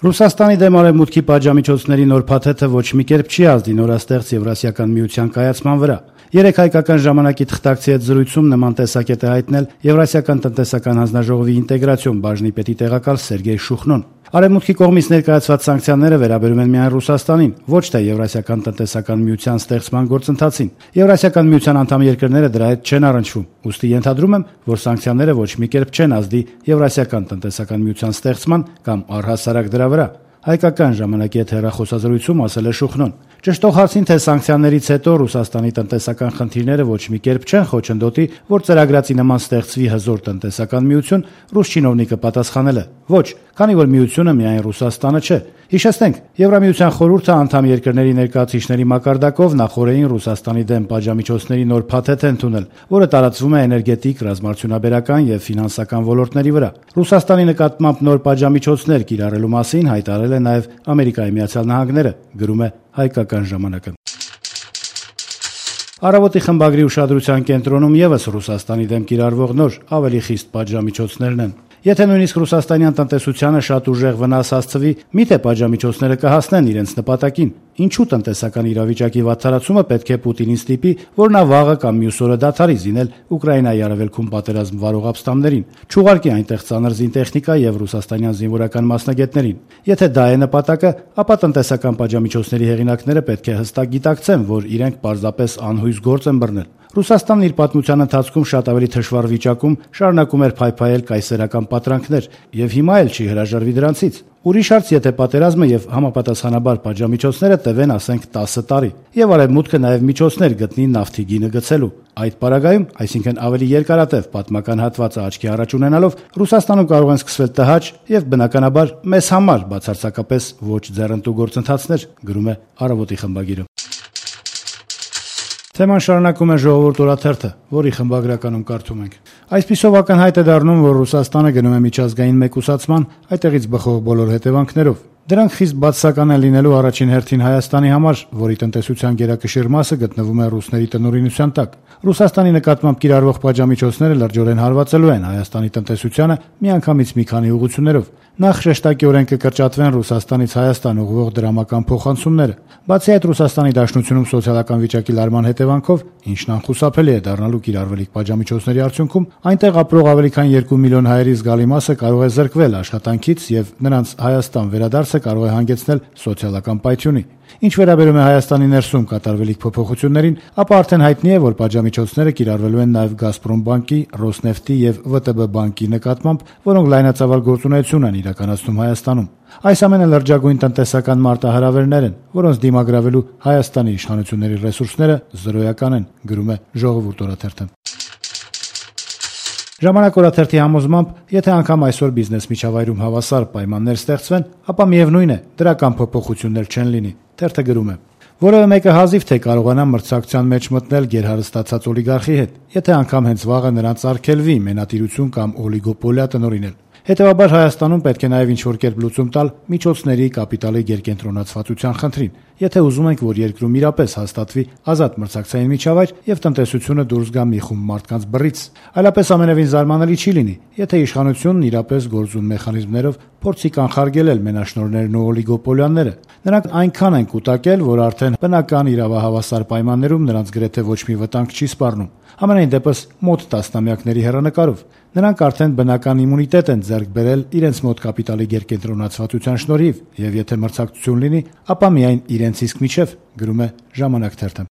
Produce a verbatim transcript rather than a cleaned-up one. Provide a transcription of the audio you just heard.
Ռուսաստանի դեմ արևմուտքի պատժամիջոցների նոր փաթեթը ոչ մի կերպ չի ազդի նորաստեղծ Եվրասիական միության կայացման վրա։ Երեկ հայկական ժամանակի թղթակցի հետ զրույցում նման տեսակետ է հայտնել Եվրասիական տնտեսական հանձնաժողովի ինտեգրացիոն բաժնի պետի տեղակալ Սերգեյ Շուխնոն։ Արևմուտքի կողմից ներկայացված սանկցիաները վերաբերում են միայն Ռուսաստանին, ոչ թե Եվրասիական տնտեսական միության ստեղծման գործընթացին։ Եվրասիական միության անդամ երկրները դրա հետ չեն առնչվում, ուստի ենթադրում եմ, որ սանկցիաները ոչ մի կերպ չեն ազդի Եվրասիական տնտեսական միության ստեղծման կամ առհասարակ դրա վրա։ Հայկական ժամանակի հետ հեռախոսազրույցում ասել է Շուխնոն։ Ճշտող հարցին, թե սանկցիաներից հետո Ռուսաստանի տնտեսական խնդիրները ոչ մի կերպ չեն խոչընդոտի, որ ծրագրացի նման ստեղծվի հզոր տնտեսական միություն, ռուս չինովնիկը պատասխանել է. ոչ, քանի որ միությունը միայն Ռուսաստանը չէ։ Հիշեցնենք, Եվրամիության խորհուրդը անդամ երկրների ներկայացուցիչների մակարդակով նախորդին Ռուսաստանի դեմ պատժամիջոցների նոր փաթեթ է ընդունել, որը տարածվում է էներգետիկ, ռազմարդյունաբերական եւ ֆինանսական ոլորտների վրա։ Ռուսաստանի նկատմամբ նոր պատժամիջոցներ կիրառելու մասին հայտարարել է նաեւ Ամերիկայի Միացյալ Նահանգները, գրում է Հայկական ժամանակը։ Առավոտի խմբագրի ուշադրության կենտրոնում եւս Ռուսաստանի դեմ կիրառվող նոր, ավելի խիստ պատժամիջոցներն են։ Եթե նույնիսկ ռուսաստանյան տնտեսությանը շատ ուժեղ վնաս հասցվի, միթե պատժամիջոցները կհասնեն իրենց նպատակին։ Ինչու տնտեսական իրավիճակի վատթարացումը պետք է Պուտինին ստիպի, որ նա վաղը կամ մյուս օրը դադարի զինել Ուկրաինայի արևելքում պատերազմ վարող ապստամբներին, չուղարկի այնտեղ ծանր զինտեխնիկա եւ ռուսաստանյան զինվորական մասնագետներին։ Եթե դա է նպատակը, ապա տնտեսական պատժամիջոցների հեղինակները պետք է հստակ գիտակցեն, որ իրենք պարզապես անհույս գործ են բռնել։ Ռուսաստանն իր պատմության ընթացքում շատ ավելի թշվառ վիճակում շարունակում էր փայփայել կայսերական պատրանքներ եւ հիմա էլ չի հրաժարվի դրանցից։ Ուրիշ հարց, եթե պատերազմը եւ համապատասխանաբար պատժամիջոցները տևեն, ասենք, տասը տարի, եւ արևմուտքը նաեւ միջոցներ գտնի նավթի գինը գցելու։ Այդ պարագայում, այսինքն ավելի երկարատև պատմական հատվածը աչքի առաջ ունենալով, Ռուսաստանում կարող են սկսվել տհաճ եւ բնականաբար մեզ համար բացարձակապես ոչ ձեռնտու գործընթացներ, գրում է Առավոտի խմբագիրը։ Թեման շարունակում է Ժողովուրդ օրաթերթը, որի խմբագրականում կարդում ենք. Այսպիսով ակնհայտ է դառնում, որ Ռուսաստանը գնում է միջազգային մեկուսացման, այդտեղից բխող բոլոր հետևանքներով։ Դրանք խիստ բացասական են լինելու առաջին հերթին Հայաստանի համար, որի տնտեսության գերակշիռ մասը գտնվում է ռուսների տնօրինության տակ։ Ռուսաստանի նկատմամբ կիրառվող պատժամիջոցները լրջորեն հարվածելու են Հայաստանի տնտեսությանը միանգամից մի քանի ուղղություններով։ Նախ շեշտակիորեն կկրճատվեն Ռուսաստանից Հայաստան ուղղվող դրամական փոխանցումները։ Բացի այդ, Ռուսաստանի Դաշնությունում սոցիալական վիճակի լարման հետևանքով, ինչն անխուսափելի է դառնալու կիրառվելիք պատժամիջոցների արդյունքում, այնտեղ ապրող ավելի քան երկու միլիոն հայերի զգալի մասը կարող է զրկվել աշխատանքից եւ նրանց Հայաստան վերադարձը կարող է հանգեցնել սոցիալական պայթյունի։ Ինչ վերաբերում է Հայաստանի ներսում կատարվելիք փոփոխություններին, ապա արդեն հայտնի է, որ պատժամիջոցները կիրառվելու են նաև Գազպրոմ բանկի, Ռոսնեֆտի եւ ՎՏԲ բանկի նկատմամբ, որոնք լայնածավալ գործունեություն են իրականացնում Հայաստանում։ Այս ամենը լրջագույն տնտեսական մարտահրավերներ են, որոնց դիմագրավելու Հայաստանի իշխանությունների ռեսուրսները զրոյական են, գրում է Ժողովուրդ օրաթերթը։ Ժամանակ օրաթերթի համոզմամբ, եթե անգամ այսօր բիզնես միջավայրում հավասար պայմաններ ստեղծվեն, ապա միևնույն է, դրական փոփոխություններ չեն լինի։ Թերթը գրում է. որևէ մեկը հազիվ թե կարողանա մրցակցության մեջ մտնել գերհարստացած օլիգարխի հետ, եթե անգամ հենց վաղը նրանց արգելվի մենատիրություն կամ օլիգոպոլիա տնօրինել։ Հետևաբար Հայաստանում պետք է նաև ինչ-որ կերպ լուծում տալ միջոցների կապիտալի գերկենտրոնացվածության խնդրին, եթե ուզում ենք, որ երկրում իրապես հաստատվի ազատ մրցակցային միջավայր եւ տնտեսությունը դուրս գա մի խումբ մարդկանց բռից։ Այլապես ամենևին զարմանալի չի լինի, եթե իշխանությունն իրապես գործուն մեխանիզմներով փորձի կանխարգելել մենաշնորհներն ու օլիգոպոլիաները։ Նրանք այնքան են կուտակել, որ արդեն բնական իրավահավասար պայմաններում նրանց գրեթե ոչ մի վտանգ չի սպառնում։ Համենայն դեպս մոտ տասնամյակների հեռանկարով նրանք արդեն բնական իմունիտետ են ձեռք բերել իրենց մոտ կապիտալի գերկենտրոնացվածության շնորհիվ, եւ եթե մրցակցություն լինի, ապա միայն իրենց իսկ միջև, գրում է Ժամանակ թերթը։